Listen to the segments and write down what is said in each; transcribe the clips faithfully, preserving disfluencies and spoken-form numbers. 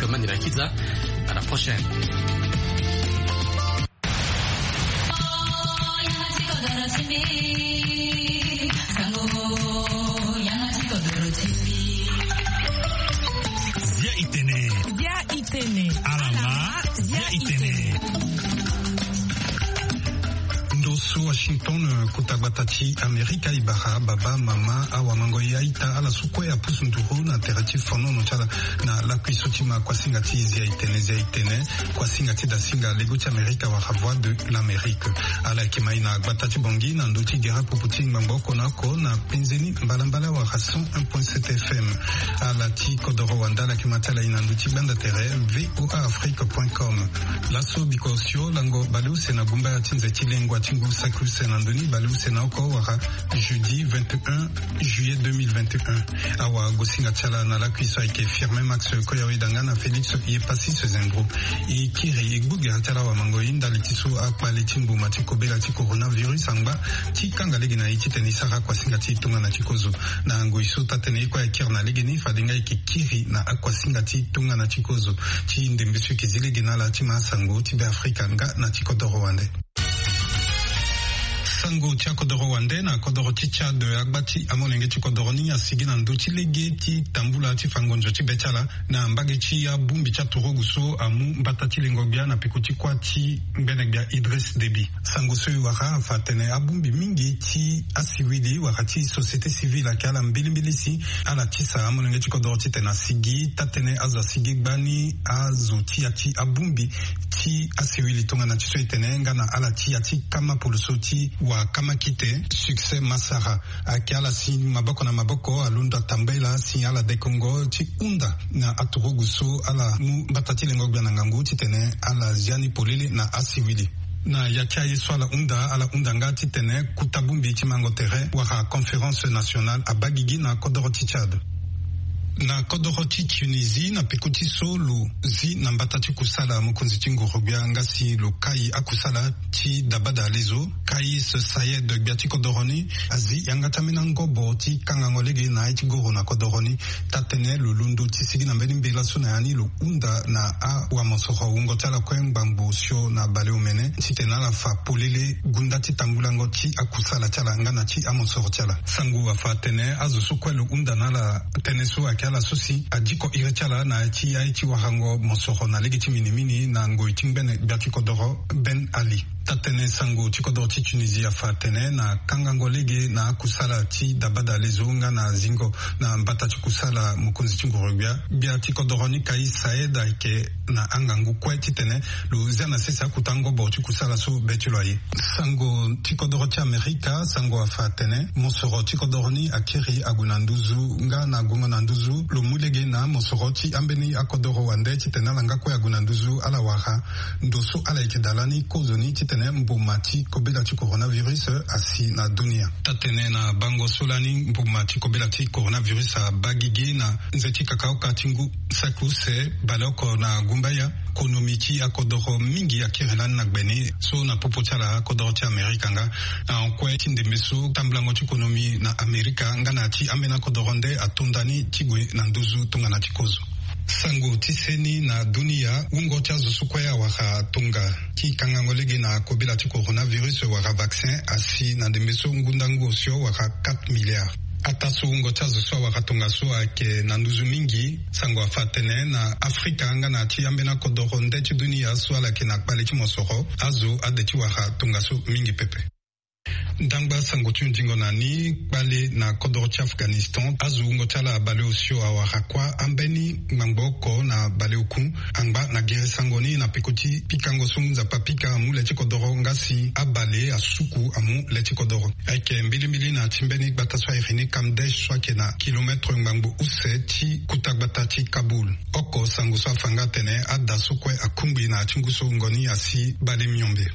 Mani Rakiza, à la prochaine. Zia itene. Zia itene. Alama, zia itene. Ndo so Washington, kota gbata ti Amerika, e bara baba, mama, awa, mango, ya, ita, ala so kue apusu nduru na tere ti fonono ti ala na lakui so ti ma kuasinga ti Zia itene, zia itene, kuasinga ti dasinga lego ti Amerika wala Voix de l'Amérique. Ala yeke mai na gbata ti Bangui na ndö ti gere pupu ti ngbangbo oko na oko na penze ni mbalambala wala cent un point sept F M. Ala ti kodoro wande ala yeke ma ti ala e na ndö ti gbanda tere V O A Afrique point com. Laso bikosio lango baleuse na gumbaya ti nze ti lengua ti ngu saki use na ndö ni baleuse na oko wala jeudi vingt et un juillet deux mille vingt et un. Awa, gosinga ti ala na lakui so ayeke Firmin Max Koyawedanga na Félix Yepassis Zembro. E kiri e gbu gere ti ala awa mango e ndali ti so akpale ti mbuma ti kobela ti coronavirus angba ti kanga lege na e titene e sara kuasinga ti tongana ti kozo. Na ngoi so taa-tënë ye kue akiri na legeni, fade nga e yeke kiri na akuasinga ti tongana ti kozo ti ndembe so e yeke zi lege na ala ti ma sango ti Beafrika nga na ti kodoro wande. Sango ti akodoro wande na kodoro ti Tchad, agba ti amolenge ti kodoro ni asigi na ndö ti lege ti tambula ti fa ngonzo ti be ti ala na mbage ti abongbi ti aturugu so amu mbata ti lengo-gbia na peko ti kuâ ti ngbene-gbia Idriss Déby. Sango so e wara afa atene abongbi mingi ti asiwili wala ti société civile ayeke ala mbilimbili si ala tisa amolenge ti kodoro titene asigi taa-tënë azo asigi gbani azo ti ya ti abongbi ti asiwili tongana ti so e tene nga na ala ti ya ti kama poloso ti wa kama kite Succès Masara. Ayeke ala si maboko na maboko alondo atambela si ala dekongo ti hunda na aturugu so ala mu mbata ti lengo-gbia na ngangu titene ala zia ni polele na asiwili. Na ya ti aye so ala hunda, ala hunda nga titene kota bongbi ti mango tere wala conférence nationale abaa gigi na kodoro ti Tchad. Na kodoro ti Tunisie, na peko ti so lo zi na mbata ti kusala mokonzi ti nguru-gbia nga si lo kai akusala ti dabada lezo, Kais Saied, gbia ti kodoro ni azi yanga ti ambeni angobo ti kangango lege na aye ti goro na kodoro ni. Taa-tënë lo londo ti sigi na mbeni mbela so na ya ni lo hunda na awamosoro wungo ti ala kue ngbangbo osio na baleomene titene ala fa polele gunda ti tambulango ti akusala ti ala nga na ti amosoro ti ala. Sango afa atene azo so kue lo hunda na ala tënë so ayeke ala so si adiko iri ti ala na ya ti aye ti warango mosoro na lege ti minimini na ngoi ti ngbene gbia ti kodoro Ben Ali. Taa-tënë sango ti kodoro ti Tunisie afa atene na kangango lege na akusala ti dabada lezo nga na zingo na mbata ti kusala mokonzi ti nguru-gbia, gbia ti kodoro ni Kais Saied ayeke na angangu kue titene lo zia na sese akota ngobo ti kusala so be ti lo aye. Sango ti kodoro ti Amerika, sango afa atene mosoro ti kodoro ni akiri ague na nduzu nga na gongo na nduzu lo mu lege na mosoro ti ambeni akodoro wande titene ala nga kue ague na nduzu ala wara ndo so ala yeke da lani kozoni titene mbuma ti kobela ti coronavirus asi na dunia. Taa-tënë na bango so lani mbuma ti kobela ti coronavirus abaa gigi na nze ti kakaoka ti ngu saki use baleoko na gumbaya, konomi ti akodoro mingi akiri lani na gbe ni so na popo ti ala akodoro ti Amerika nga na hon kue ti ndembe so tambulango ti konomi na Amerika nga na ya ti ambeni akodoro nde atonda ni ti gue na nduzu tongana ti kozo. Sango ti seni na dunia, wungo ti azo so kue awara tonga ti kangango lege na kobela ti coronavirus wala vaccin asi na ndembe so ngundangu osio wala quatre milliards. Ataa so wungo ti azo so awara tongaso ayeke na nduzu mingi, sango afa atene na Afrika nga na ya ti ambeni akodoro nde ti dunia so ala yeke na kpale ti mosoro, azo ade ti wara tongaso mingi pepe. Ndangba sango ti hundingo na ni, kpale na kodoro ti Afghanistan, azo wungo ti ala baleosio awara kuâ ambeni ngbangbo oko na baleoku angba na gere sango ni na peko ti pikango so Nzapa apika amu le ti kodoro nga si abale asuku amu le ti kodoro. Ayeke mbilimbili na ya ti mbeni gbata so a iri ni Kamdesh so ayeke na kilometre ngbangbo use ti kota gbata ti Kaboul. Oko sango so afa nga atene ada so kue akungbi na ya ti ngu so wungo ni asi bale miombe.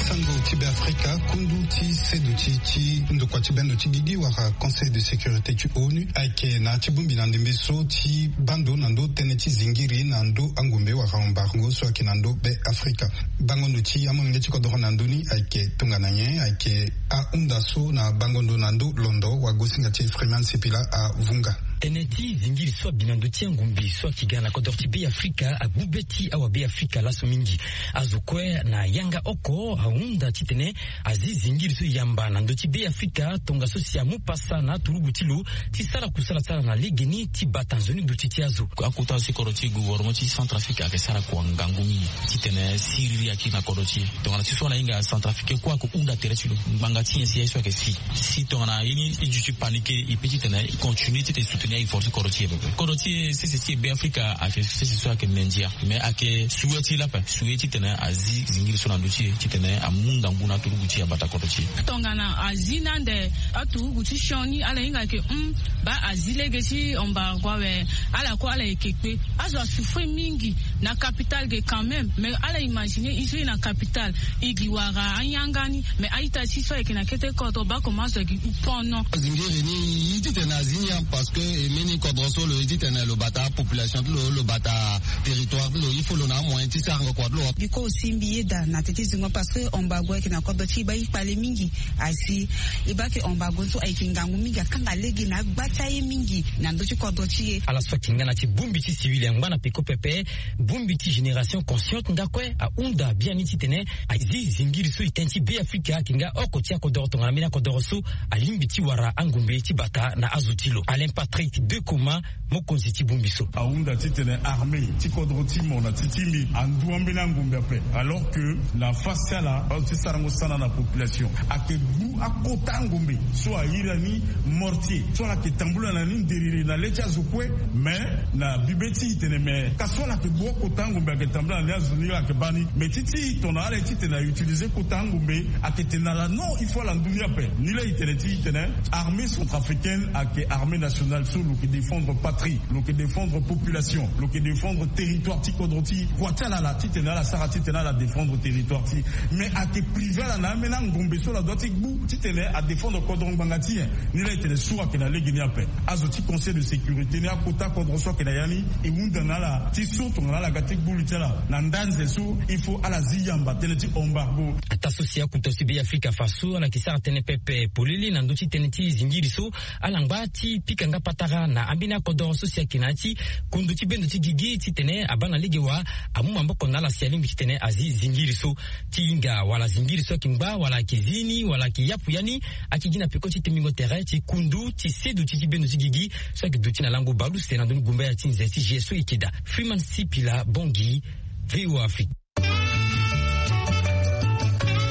Sango ti Beafrika. Kundu ti seduti ti ndokua ti bendo ti gigi wala conseil de sécurité ti onu ayeke na ti bongbi na ndembe so ti bando na ndö tënë ti zingiri na ndö angombe wala embargo so ayeke na ndö be afrika. Bango ndo ti amolenge ti kodoro na ndö ni ayeke tongana nyen? Ayeke ahunda so na bango ndo na ndö londo wagosinga ti freeman sipila avunga. Tënë ti zingiri so abi na ndö ti angombe so ayeke ga na kodoro ti be afrika agbu be ti awa be afrika laso mingi. Azo kue na yanga oko ahunda titene azi zingiri so yamba na ndö ti be afrika tongaso si amu pasa na aturugu ti lo ti sara kusala ti ala na legeni ti bata nzoni duti ti azo. Akota si kodro ti gouvernement ti centrafrique ayeke sara kua ngangu mingi titene siriri akiri na kodro ti e. Tongana ti so ala hinga centrafrique kue ako hunda tere ti lo ngbanga ti nyen si aye so ayeke si si tongana ye ni e duti panike e pe titene e continue titene e soutenir effort ti kodro ti e pepe. Kodro ti e sese ti e be afrika ayeke sese so ayeke mendia mais ayeke souwe ti lape souwe titene azi zingiri so na ndö ti e titene amu ngangu na aturugu ti e abata kodro ti e. Tongana azi ni ande aturugu ti sioni ala hinga ayeke hum baa azi lege ti embargo awe. Ala kue ala yeke kpe azo asouffrir mingi na capitale ge quand même mais ala imaginer e so e na capitale e gi wara ayanga ni mais a-ita ti so ayeke na kete kodro baa comment azo ayeke hum pono. Zingiri ni e titene azi ni parce que e mbeni kodro so lo e titene lo bata apopulation ti lo lo bata territoire ti lo il faut lo na amoyen ti sarango kua ti lo. Biko aussi mbi yeda na teti zingo parce que embargo ayeke na kodro ti e baa e kpale mingi. Asi e baa ke embargo so ayeke ngangu mingi akanga lege na agba ti aye mingi na ndö ti kodro ti e. Ala so ayeke nga na ti bongbi ti civil angba na peko pepe bongbi ti génération consciente nga kue ahunda biani titene azi zingiri so e tënë ti be afrika ayeke nga oko ti akodoro tongana mbeni akodoro so alingbi ti wara angombe ti bata na azo ti lo alain patrick de coma. Mokonzi ti bongbi so ahunda titene armée ti kodro ti mo na ti ti mbi andu ambeni angombe ape alors que na fasi ti ala azo ti sarango sana na population ayeke gbu akota angombe so ahiri ani mortier so ala yeke tambula na ni nderere na le ti azo kue. Mais na bibe ti e tene mais ka so ala yeke gbu akota angombe ayeke tambula na ni azo ni ayeke baa ni mais ti ti e tongana ala ye titene autiliser kota angombe ayeke tene na ala non il faut ala ndu ni ape. Ni laa e tene ti e tene armée centrafricaine ayeke armée nationale so lo yeke défendre patrie lo yeke défendre population lo yeke défendre territoire ti kodro ti e kua ti ala laa titene ala sara titene ala défendre territoire ti e. Mais ayeke priver ala na ambeni angombe so ala dua ti gbu titene adéfendre kodro ngbanga ti nyen? Ni laa e tene so ayeke na lege ni ape. Azo ti conseil de sécurité ni akota kodro so ayeke na ya ni e hunda na ala ti so tongana ala ga ti gbu li ti ala na ndanze so il faut ala zi yamba tënë ti embargo. Ataa so si akuta so e be afrika faso ala yeke sara tënë pepe polele na ndö ti tënë ti zingiri so ala ngba ti pika nga patara na ambeni akodoro so si ayeke na ya ti kundu ti bendo ti gigi titene abaa na lege wa amu maboko na ala si alingbi titene azi zingiri so ti hinga wala zingiri so ayeke ngba wala ayeke zi ni wala ayeke yapu ya ni. Ayeke gi na peko ti tembingo tere ti kundu ti seduti ti bendo ti gigi so ayeke duti na lango baleuse na ndoni gumbaya ti nze ti g s o e yeke daa. Freeman sipila bongi. Voa afrique.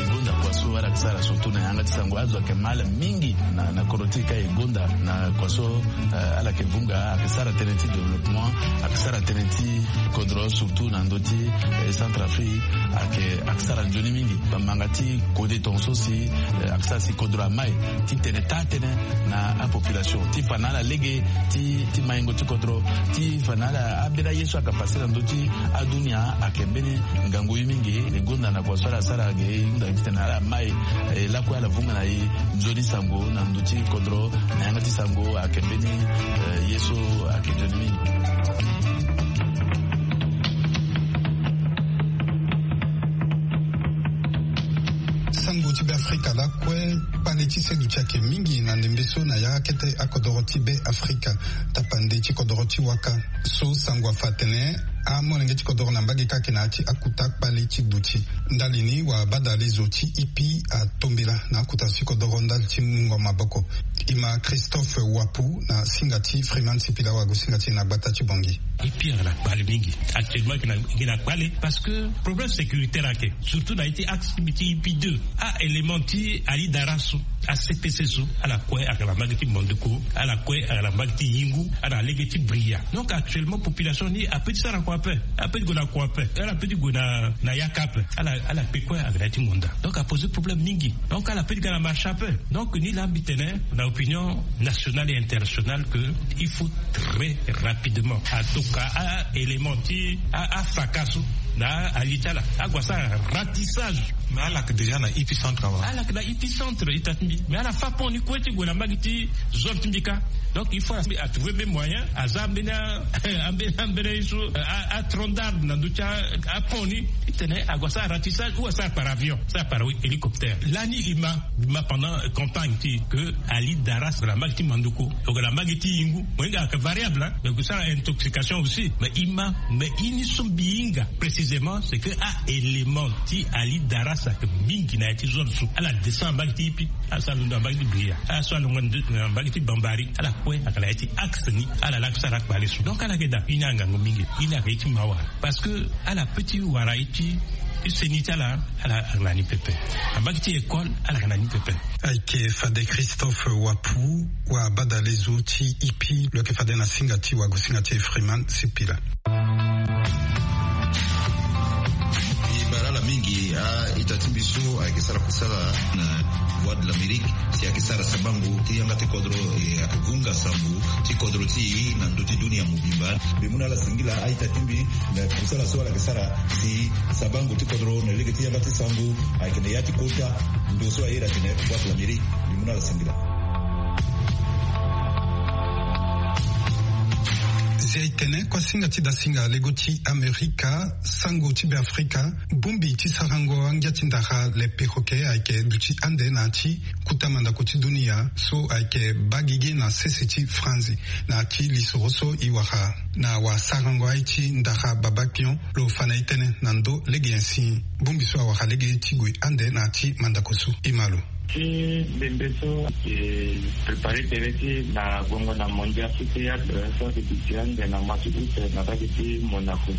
E gonda kua so ala yeke sara surtout na yanga ti sango azo ayeke mal mingi na kodro ti e ka e gonda na kua so ala yeke vunga ayeke sara tënë ti développement ayeke sara tënë ti kodro surtout na ndö ti centrafrique. Ayeke sara nzoni mingi bambanga ti kode tongaso si ayeke sara si kodro amai ti tene taa tënë na apopulation ti fa na ala lege ti maingo ti kodro ti fa na ala ambeni aye so ayeke pase na ndö ti adunia ayeke mbeni ngangu ye mingi. E gonda na kua so ala sara ge e hunda titene ala mai e lakue ala vunga na e nzoni sango na ndö ti kodro na yanga ti sango ayeke mbeni ye so ayeke nzoni mingi. Sango ti be afrika lakue kpale ti seduti ayeke mingi na ndembe so na ya akete akodoro ti be afrika. Tapande ti kodoro ti waka so sango afa atene amolenge ti kodoro na mbage kake na ya ti akuta kpale ti duti ndali ni wabadale zo ti ipi atombela na akuta ti kodoro ndali ti mungo maboko. E ma christophe wapu na singa ti freeman sipila wago singa ti e na gbata ti bongi. Ipi ayeke na kpale mingi actuellement e yeke na kpale parce que problème sécuritaire ayeke surtout na ye ti axe ti mbi ti ipi deux. Aélément ti ali dara so acpc so ala kue ayeke na mbage ti mondeko ala kue ayeke na mbage ti yingu ala na lege ti bria. Donc actuellement population ni ape ti sara kua ape ape ti gue na kua ape ala pe ti gue na yaka ape. Ala kpe kue ayeke na ya ti monda donc apose problème mingi. Donc ala pe ti ga na marché ape. Donc ni laa mbi tene na opinion nationale et internationale que il faut très rapidement atoka aélément ti afaka so na ali ti ala ague asara ratissage. Mais ala yeke déjà na épicentre awa. Ala yeke na épicentre ita ti mbi, mais ala fa pont ni kue ti gue na mbage ti zone ti mbi kâ. Donc il faut atrouver mbi moyen aza ambeni ambeni ye so, atrondarde na ndö ti apont ni, ti tene ague asara ratissage ou asara par avion, asara par hélicoptère. Lani e ma e ma pendant campagne ti e ke ali daras na mbage ti mandoko, donc na mbage ti yingu mo hinga ayeke variable, mais gue sara intoxication aussi. Mais e ma mais ye ni so mbi hinga précisément c'est que a élément ti ali daras ayeke mingi na ya ti zone so. Ala descend na mbage ti ipi, ala sara londo na mbage ti bria, ala so alongo na mbage ti bambari, ala kue ayeke na ya ti axe ni. Ala laa sara kpale so, donc ala yeke daa ye ni angango mingi. Ye ni ayeke ye ti mawa parce que ala pe ti wara ye ti seni ti ala. Ala yeke na ni pepe. Na mbage ti école ala yeke na ni pepe. Ayeke fade Christophe Wapu, wa badale zo ti ipi lo yeke fade na singa ti wagosinga ti Freeman Sipila. E bara ala mingi a-ita ti mbi so ayeke sara kusala na Voix de l'Amérique, si ayeke sara sabango ti yanga ti kodro, e ayeke gunga sango ti kodro ti e na ndö ti dunia mobimba. Mbi mu na ala singila a-ita ti mbi na kusala so ala yeke sara si sabango ti kodro na lege ti yanga ti sango ayeke na ya ti kota ndo so aye iri atene Voix de l'Amérique. Mbi mu na ala singila. Zia e tene kuasinga ti dasinga lego ti Amerika, sango ti Beafrika, bongbi ti sarango angia ti ndara le perroquet ayeke duti ande na ya ti kota mandako ti dunia so ayeke baa gigi na sese ti Franzi. Na ya ti lisoro so e wara na wasarango aye ti ndara Babapion, lo fa na e tënë na ndö lege nyen si bongbi so awara lege ti gue ande na ya ti mandako so. E ma lo. Ti bembe so ayeke préparer tere ti na gongo na mondial ti théâtre so ayeke duti ande na mois ti août na mbage ti Monaco.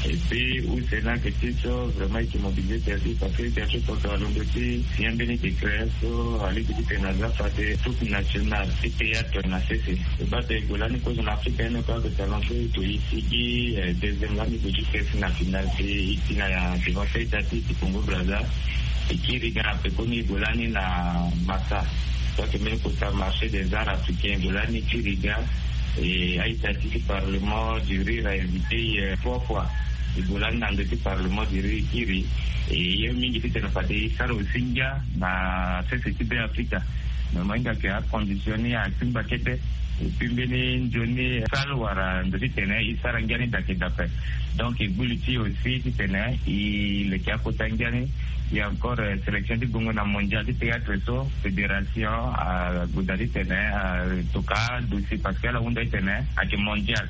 Et puis use ni ayeke ti so vraiment e yeke mobiliser tere ti e parce que tere ti poto alondo ti signer mbeni décret so alingbi ti tene aza fade troupe nationale ti théâtre na sese. E baa tene gue lani kozo na Afrika ni kue ayeke salon so e to e sigi deuxième lani gue ti kesi na finale ti e ti na devant ti a-ita ti e ti Congo Brazza. E kiri ga na pekoni gue lani na Massa so ayeke mbeni kota marché des arts africains. Gue lani e kiri ga. E a-ita ti ti parlement du rire a invité e trois fois. E gue lani na ndö ti parlement du rire e kiri. E ye mingi titene fade e sara aussi ngia na sese ti Beafrika. Me mo hinga ke acondition ni atingba kete. E puis mbeni nzoni salle wala ndo titene e sara ngia ni dake dape. Donc e gbu li ti e aussi titene e leke akota ngia ni. E encore sélection ti gongo na mondial ti théâtre so fédération ague daa titene atoka dossier parce que ala hunda titene ayeke mondial.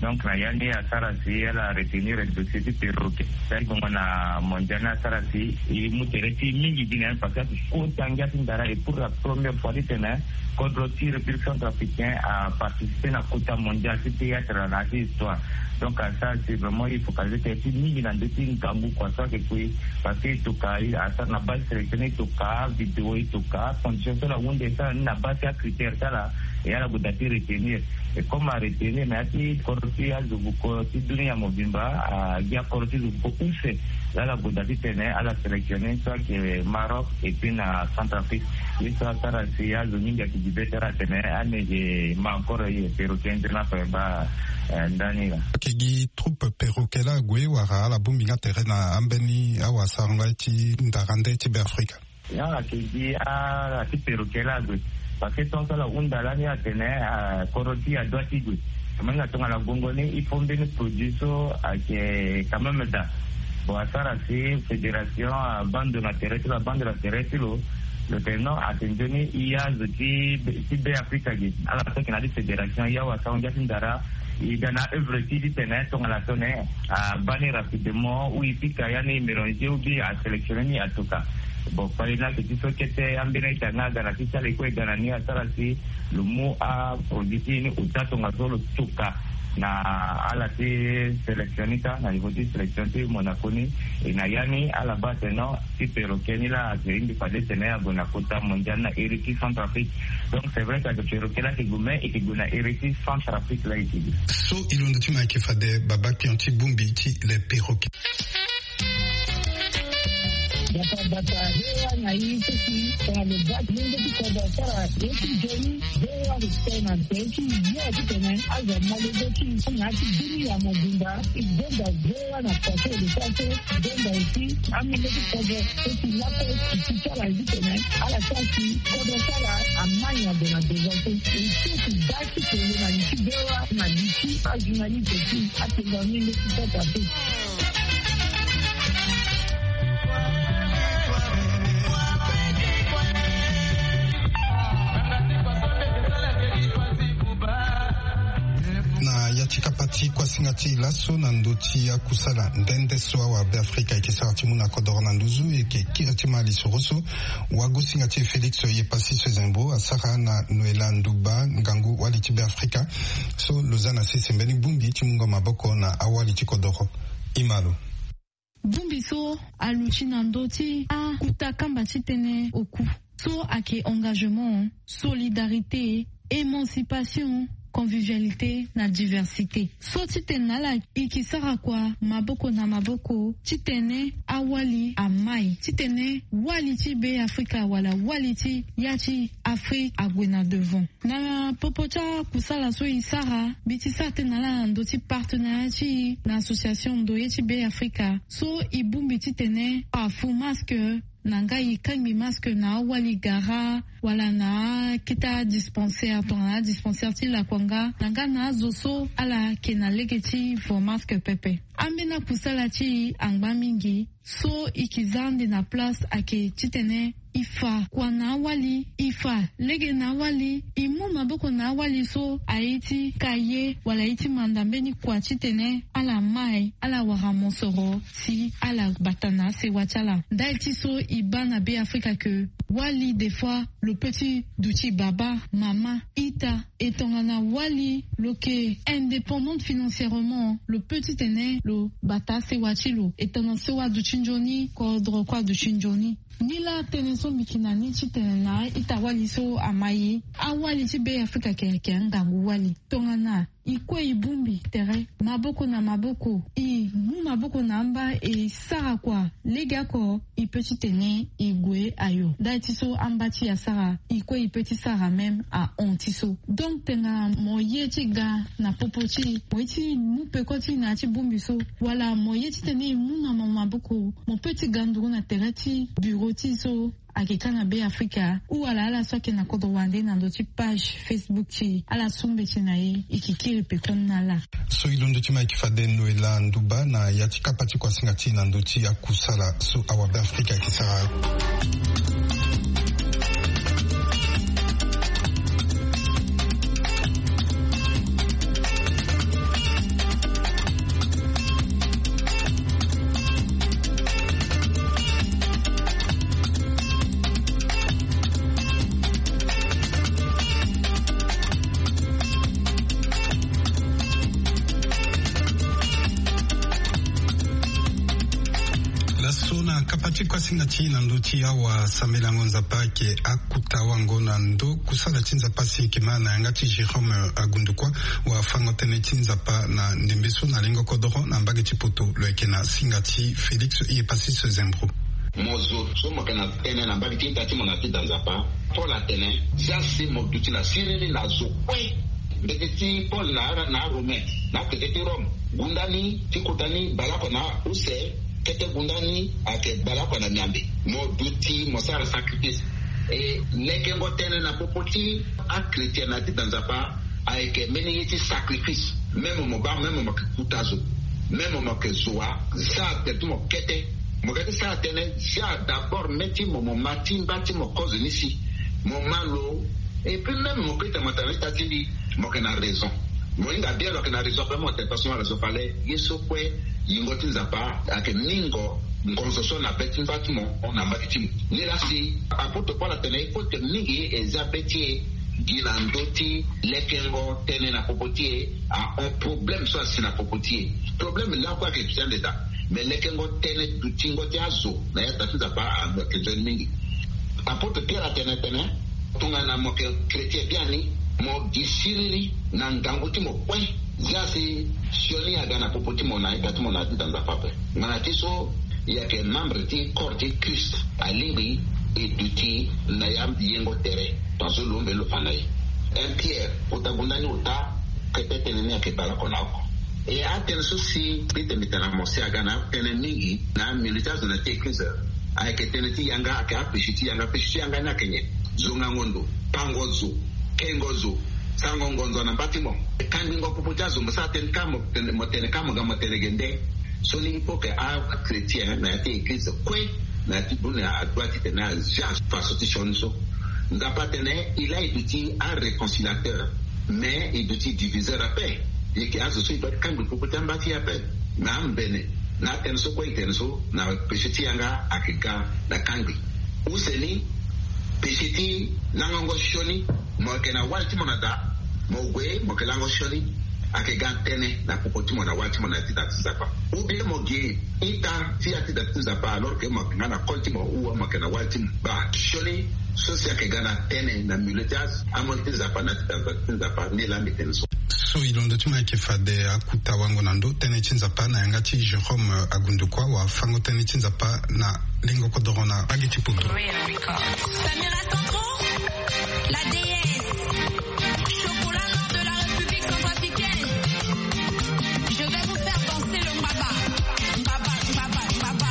Donc na ya ni asara si ala retenir dossier ti perroquet. Sari gongo na mondial ni asara si e mu tere ti e mingi gi na ya ni parce que ayeke kota ngia ti ndara et pour la première fois titene kodro ti République centrafricaine aparticiper na kota mondial ti théâtre na ya ti histoire. Donc asara si vraiment e focaliser tere ti e mingi na ndö ti ngangu kua so ayeke kue. Parce que e toka asara na base sélection ni e toka vidéo e toka condition so ala hunde e sara ni na base ti acritère ti ala. E ala gue daa ti retenir. E comme aretenir na ya ti kodro ti azo buko ti dunia mobimba agi akoro ti zo buko use. Laa ala gue daa titene ala sélectionner so ayeke Maroc et puis na Centrafrique. Ye so asara si azo mingi ayeke gi be ti ala atene amege ma encore ye perroquet nzoni ape baa ndani laa. Ayeke gi troupe perroquet laa ague wala ala bongbi nga tere na ambeni awasarango aye ti ndara nde ti Beafrika? Ya ayeke gi ala ti perroquet laa ague. Parce que tongaso ala hunda lani atene kodro ti e adoit ti gue. Mo hinga tongana gongo ni il faut mbeni produit so ayeke quand même daa. Bon asara si fédération abaa ndo na tere ti lo abaa ndo na tere ti lo. Lo tene non ayeke nzoni e azo ti Beafrika ge ala so ayeke na ya ti fédération e awasarango ngia ti ndara. E ga na aœuvre ti e titene tongana tongana abaa ni rapidement ou e pika ya ni e mélanger ou bien asélectionner ni atoka. Bon kpale ni ayeke ti so kete ambeni a-ita nga aga na ti ti ala e kue e ga na ni asara si lo mu aproduit ti e ni ota tongaso lo toka na ala ti sélection ni kâ na niveau ti sélection ti Monaco ni. E na ya ni ala baa atene non ti perroquet ni laa ayeke hindi fade tene ague na kota mondial na iri ti Centrafrique. Donc c'est vrai que ayeke perroquet laa ayeke gue mais e yeke gue na iri ti Centrafrique laa e yeke gue. So e londo ti mo ayeke fade Babapion ti bongbi ti le perroquet. Yaka bata vewa na ye ti si tongana lo baa ti lenge ti kodro asara ye ti nzoni. Vewa respect na nze ti ye titene azo amale zo ti na ya ti bini ya mobimba. E gonda vewa na pase de pase. Gonda aussi amenge ti kodro so ti lakue ti ti sara ye titene ala sara si kodro sara amai na ndo na devant so. E so ti baa ti tene na li ti vewa na li ti ajournaliste ti atene na menge ti kota te. Na ya ti kapa ti kuasinga ti laso na ndö ti akusala nde nde so awabeafrika ayeke sara ti mu na kodoro na nduzu, e yeke kiri ti ma lisoro so wagosinga ti e Félix Yepassi Sezembo asara na Noëlla Ndouba, ngangu wali ti Beafrika so lo za na sese mbeni bongbi ti mungo maboko na awali ti kodoro. E ma lo. Bongbi so aluti na ndö ti akuta kamba ti tënë oku so ayeke engagement, solidarité, émancipation, convivialité na diversité. So ti tene na ala e ke sara kua maboko na maboko titene awali amai, titene wali ti Beafrika wala wali ti ya ti Afrique ague na devant. Na popo ti akusala so e sara, mbi ti sara tënë na ala na ndö ti partenariat ti e na association Ndoye ti Beafrika so e bongbi titene afu masque na nga e kangbi masque na awali gara wala na akete adispensaire tongana adispensaire ti lakua nga na nga na azo so ala yeke na lege ti vo masque pepe. Ambeni akusala ti e angba mingi. So e ke za ande na place ayeke titene e fa kua na awali, e fa lege na awali, e mu maboko na awali so aye ti ka ye wala aye ti manda mbeni kua titene ala mai, ala wara mosoro si ala bata na asewa ti ala. Ndali ti so e baa na Beafrika ke wali des fois lo peut ti duti baba, mama, ita. E tongana wali lo yeke indépendante financièrement, lo peut titene lo bata asewa ti lo. E tongana so aduti nzoni, kodro kue aduti nzoni. Nilaa tënë so mbi yeke na ni titene na a-ita-wali so amai, awali ti Beafrika ayeke, ayeke angangu wali. Tongana e kue e bongbi tere maboko na maboko, e mu maboko na amba, e sara kua legeoko, e peut titene e gue ayo. Ndali ti so amba ti e asara, e kue e peut ti sara même ahon ti so. Donc tongana mo ye ti ga na popo ti e, mo ye ti mu peko ti e na ya ti bongbi so, wala mo ye titene e mu na mo maboko, mo peut ti ga nduru na tere ti bureau ti e so ayeke ka na Beafrika, ou wala ala so ayeke na kodro wande na ndö ti page Facebook ti e, ala su mbeti na e, e yeke kiri pekoni na ala. So e londo ti ma e yeke fade Noëlla Ndouba na ya ti kapa ti kuasinga ti e na ndö ti akusala so awabeafrika ayeke sara. Laso na kapa ti kuasinga ti e na ndö ti awasambelango Nzapa ayeke akuta wango na ndo kusala ti Nzapa si e yeke ma na yanga ti Jérôme Agundukua, wafango-tënë ti Nzapa na ndembe so na lengo kodoro na mbage ti poto, lo yeke na singa ti Félix Yepassi Sezembro. Mo zo so mo yeke na tënë na mbage ti ita ti mo na ti da Nzapa. Paul atene, zia si mo duti na siriri na zo kue. Mbeti ti Paul na, na Romain, na kete ti Rome. Gunda ni ti kota ni baleoko na use, kete gunda ni ayeke baleoko na miambe. Mo duti, mo sara sacrifice. E lekengo tënë na popo ti achrétien na ti da Nzapa ayeke mbeni ye ti sacrifice. Même mo baa, même mo yeke kuta zo, même mo yeke zo wa, sara tene ti mo kete. Mo yeke ti sara tënë, zia d'abord mê ti mo, mo ma ti mba ti mo kozo ni si mo ma lo. Et puis même mo peut ti tene mo tene na ita ti mbi, mo yeke na raison. Mo hinga bien lo yeke na raison ape, mo tene personne na raison fale. Ye so kue, yingo ti Nzapa ayeke mingo ngonzo so na be ti mba ti mo, na mbage ti mo. Nilaa si apôtre Paul atene, il faut que mingi e zia be ti e gi na ndö ti lekengo tënë na popo ti e, ahon problème so asi na popo ti e. Problème lakue ayeke duti ande daa. Me lekengo tënë dutingo ti azo na yata ti Nzapa ayeke nzoni mingi. Apôtre Pierre atene tene, tongana mo yeke chrétien biani, mo gi siriri na ngangu ti mo kue. Zia si sioni aga na popo ti mo na ita ti mo na ya ti da Nzapa ape. Ngbana ti so, Yeke membre ti corps ti Christ alingbi e duti na ya yengo tere. Tongaso lo mbe lo fa na e. Un pierre kota gonda ni ota. Kete tënë ni ayeke bale oko na oko. E atënë so si mbi tene mbi tene na mo si aga na atënë mingi na milieu ti azo na ti église. Ayeke tënë ti yanga, ayeke apesi ti yanga. Pesi ti yanga ni ayeke nyen? Zongango ndo, pango zo, kengo zo, sango ngonzo na mba ti mo. Kangbingo popo ti azo mo sara tënë ka mo tene, mo tene ka mo ga mo tene ge nde. So ni il faut que achrétien na ya ti église kue na ya ti bune adoit ti tene azia faso ti sioni so. Nzapa atene il a e duti aréconciliateur, mais e duti diviseur ape. Yeke azo so e doit ti kangbi popo ti amba ti e ape. Na ambene na atënë so kue e tene so na pesi ti yanga ayeke ga na kangbi. Use ni pesi ti langango sioni, mo yeke na wali ti mo na da, mo gue mo yeke lango sioni, ayeke ga tënë na popo ti mo na wali ti mo na ya ti da ti Nzapa. Ou bien mo gi ita ti ya ti da ti Nzapa alors que mo yeke nga na koli ti mo ou mo yeke na wali ti mo. Baa sioni so si ayeke ga na tënë na milieu ti azo, amolenge ti Nzapa na ya ti da ti Nzapa, ni laa mbi tene so. So e londo ti mo ayeke fade akuta wango na ndo tënë ti Nzapa na yanga ti Jérôme Agundukua, wafango tënë ti Nzapa na lengo kodoro na mbage ti Poto. Samira Centro, la déesse. Chocolat noir de la République centrafricaine. Je vais vous faire danser le mbaba. Mbaba, mbaba, mbaba.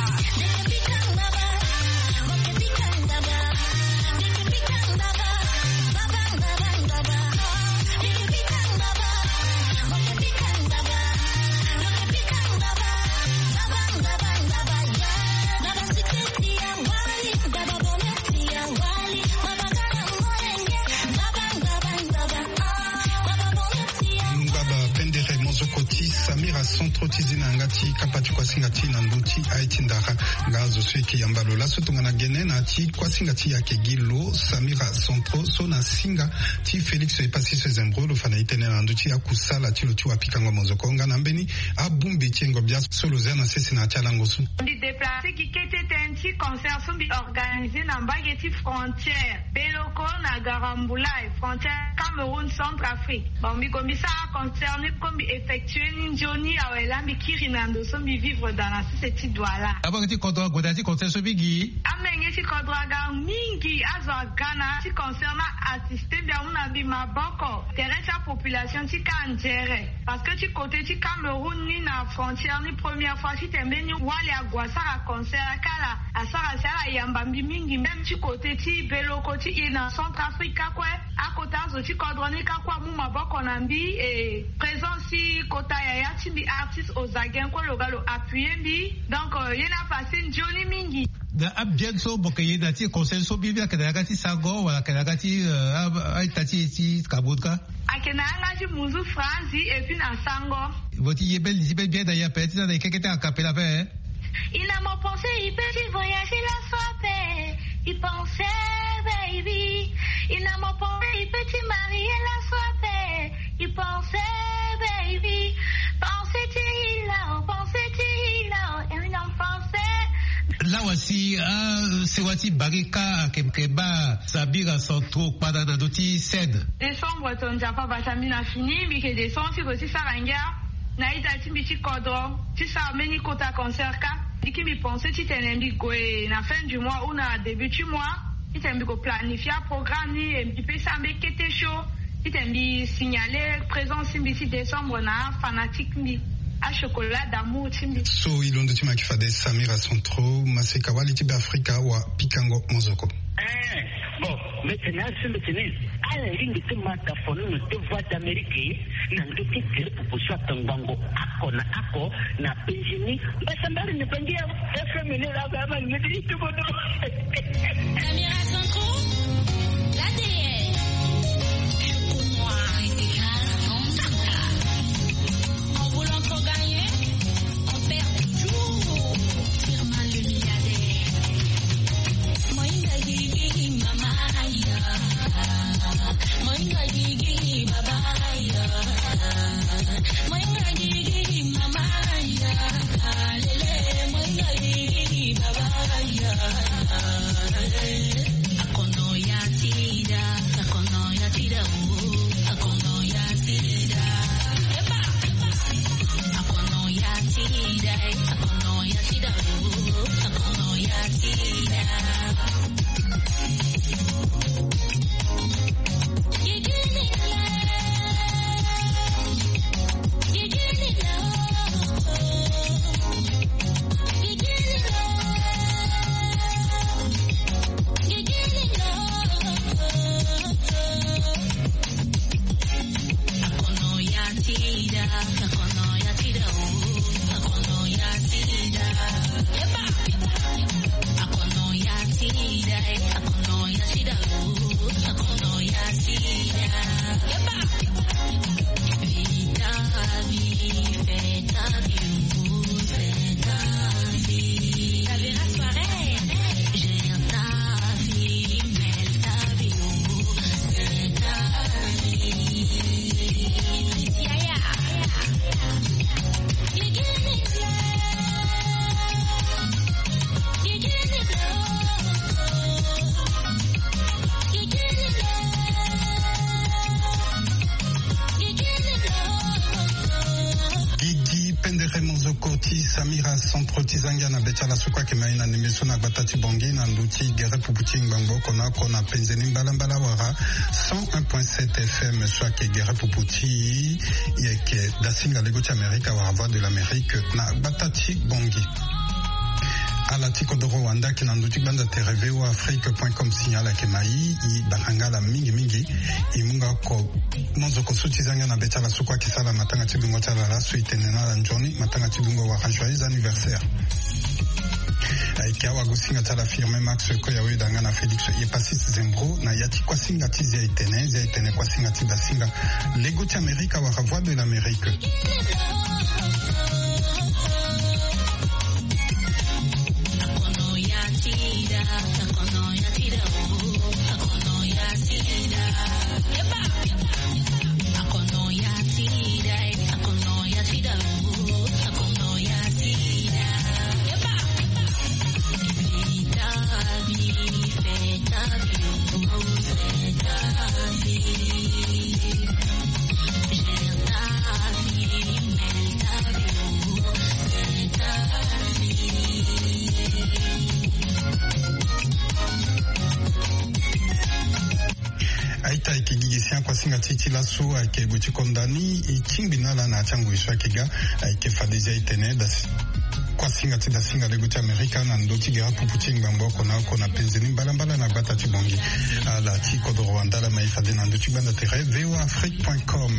Ngbaba pendere mozoko ti Samira Centro ti zi na yanga ti kapa ti kuasinga ti na ndö ti aye ti ndara. Nga azo so e yeke yamba lo laso tongana gene na ya ti kuasinga ti e ayeke gi lo Samira Centro so na singa ti Félix Epassi Sezembro lo fa na e tënë na ndö ti akusala ti lo ti wapikango mozoko nga na mbeni abongbi ti yengo bia so lo zia na sese na ya ti alango so. Mbi déplacer gi kete tënë ti concert so mbi organiser na mbage ti frontière Beloko na Garambulay, frontière Cameroun Centrafrique. Bon, mbi gue mbi sara concert ni, comme mbi effectuer ni nzoni awe laa mbi kiri na ndo so mbi vivre dans la sese ti Douala. Amolenge ti kodro ague na ya ti concert so mingi. Amolenge ti kodro aga mingi, azo aga na ya ti concert ni assister mbi, amu na mbi maboko. Tere ti apopulation ti ka anzere. Parce que ti côté ti Cameroun ni na frontière ni première fois titene mbeni wali ague asara concert akala, asara si ala yamba mbi mingi. Même ti côté ti Beloko ti e na Centrafrique ka kue, akota azo ti kodro ni ka kue amu maboko na mbi, e présence ti kota yaya ti mbi artiste Ozagen kue lo ga lo appuyer mbi. Donc, euh, ye ni apasse nzoni mingi. Na abian so mo yeke ye na ti concert so, mbi mbi ayeke na yanga ti sango wala ayeke na yanga ti, euh, a, a-ita ti e ti Cameroun ka? Ayeke na yanga ti munzu Franzi et puis na sango. Mo ti ye mbeni li ti mbeni bien na ye ape ti na na e keke ti a cappella ape, hein? Il a mon pensée, il peut ti voyager laso ape. Il pensait, baby. Il a mon pensée, il peut ti marier laso ape. Il pensait, baby. Pensée ti hila, oh, pensée ti hila, oh, et une enfance. Lawa si, ah, sewa ti Barika ayeke, yeke baa Samira Centro kpada na ndö ti scène. Décembre ton Nzapa bata mbi na fini, mbi yeke descendre ti gue ti sara ngia na ita ti mbi ti kodro ti sara mbeni kota concert ka. Mbi ki mbi pensé titene mbi gue na fin du mois ou na début ti mois, titene mbi gue planifier aprogramme ni, e mbi pesa mbeni kete show, titene mbi signaler présence ti mbi ti décembre na afanatique mbi, achocolat d'amour ti mbi. So e londo ti mo ayeke fade Samira Centro, maseka wali ti Beafrika, wapikango mozoko. Eh, bon, mbi tene aso mbi tene ala lingbi ti mata fono na te Voix d'Amérique na ndö ti tele popo so atongbango oko na oko na penzi ni. Mbasambala ni bangi ya F M ni la ba ma ni ti tuko do. Samira Centro, l'A D N. Pour moi, c'est grave. En voulant trop gagner, on perd toujours. Firmin le milliardaire. Moinga gigi mama ya. Moinga gigi baba ya. Moinga gigi mama ya. Lele, moinga gigi baba ya. Akono ya sida, akono ya sida, oh, akono ya sida. Eba, eba. Akono ya sida, eh, akono ya sida, oh. Ti zangia na be ti ala so kue ayeke ma e na ndembe so na gbata ti Bangui na ndö ti gere pupu ti ngbangbo oko na oko na penze ni mbalambala wala cent un point sept F M so ayeke gere pupu ti e, ayeke dasinga lego ti Amerika wala Voix de l'Amérique na gbata ti Bangui. Ala ti kodoro wande ayeke na ndö ti gbanda tere V O A Afrique point com, signal ayeke ma e, e bata nga ala mingi mingi. E mu nga oko Monzoko so ti zangia na be ti ala so kue ayeke sara matanga ti dungo ti ala laso, e tene na ala nzoni matanga ti dungo wala joyeux anniversaire. Ayeke awagosinga ti ala Firmin Max Koyawe, da nga na Félix Epasis Zembro na ya ti kuasinga ti Zia Etene. Zia Etene, kuasinga ti dasinga lego ti Amerika wala Voix de l'Amérique. Aita, ayeke gi gi si akuasinga ti e ti laso ayeke gue ti konda ni. E tingbi na ala na ya ti angoi so ayeke ga. Ayeke fade Zia Etene, da si kuasinga ti dasinga lego ti Amerika na ndö ti gere pupu ti ngbangbo oko na oko na penze ni mbalambala na gbata ti Bangui. Ala ti kodoro wande ala ma e fade na ndö ti gbanda tere V O A Afrique point com.